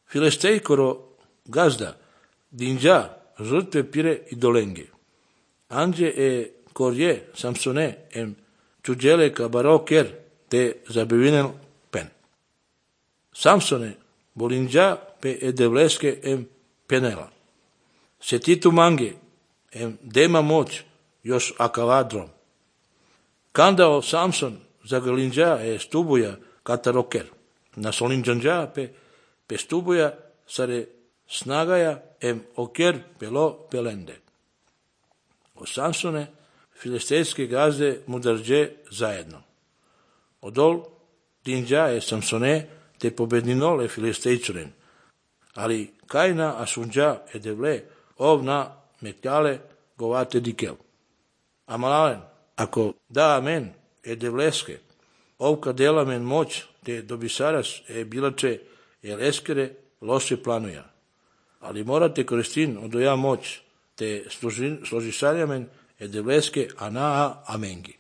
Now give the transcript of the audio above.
Filestejkoro gazda, dinđa, žrtve pire i dolenge. Anđe e korje, Samsone, em čuđele ka baroker, te zabivinen pen. Samsone, bolinđa, pe edevleske em penela. Setitu mange, em dema moć, još akavadrom. Kandao Samson, zagalinđa e stubuja kataroker. Na solinđanđa pe stubuja sare snagaja em oker pelo pelende. O Samsone, filistejske gazde mudarđe zajedno. Odol dinđa e Samsone te pobedninole filistejčuren. Ali kajna asunđa e devle ovna metjale govate dikel. Amalalen, ako da amen e devleske, ovka dela men moć te dobisaras e bilače el eskere loše planuja. Ali morate koristin odoja moć te složišarjamen e devleske anaa amengi.